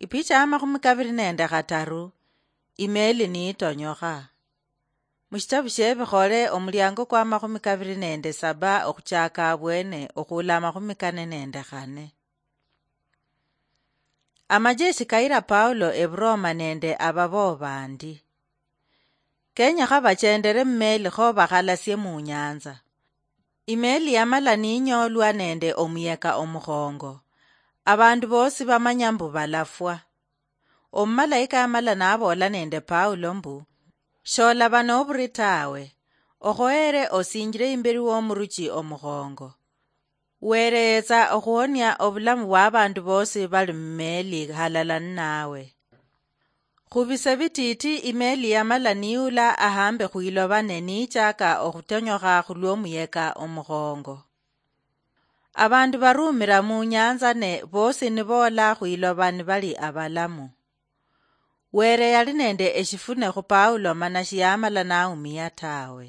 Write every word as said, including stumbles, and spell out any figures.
Ipicha ya makhumi kaviri nende khataru. Imeli niitonyokha. Mushitabu shiebikhole, omuliango kwa makhumi kaviri nende saba okhuchaka abwene okhula amakhumi kane nende khane. Amajeshi kayira Paulo eburoma nende ababo bandi. Kenyekha bachendere mumeli kho bakhalasie munyanza. Imeli yamala ninyoolwa nende omuyeka omukhongo. Abandu bosi bamanya mbu balafwa. Omumalayika yamala naboola nende Paulo mbu, "Sholaba noburi tawe, okhoere osinjire imberi womuruchi omukhongo. Were yetsa okhuhonia obulamu bwabandu bosi bali mumeli halala ninawe." Khubise bititi, imeli yamala niula ahambe khwiloba ne nichaka okhutonyokha khulwomuyeka omukhongo. Abandu barumira munyanza ne bosi niboola khwiloba nibali abalamu. Were yali nende eshifune khu Paulo mana shiyamala naumia tawe.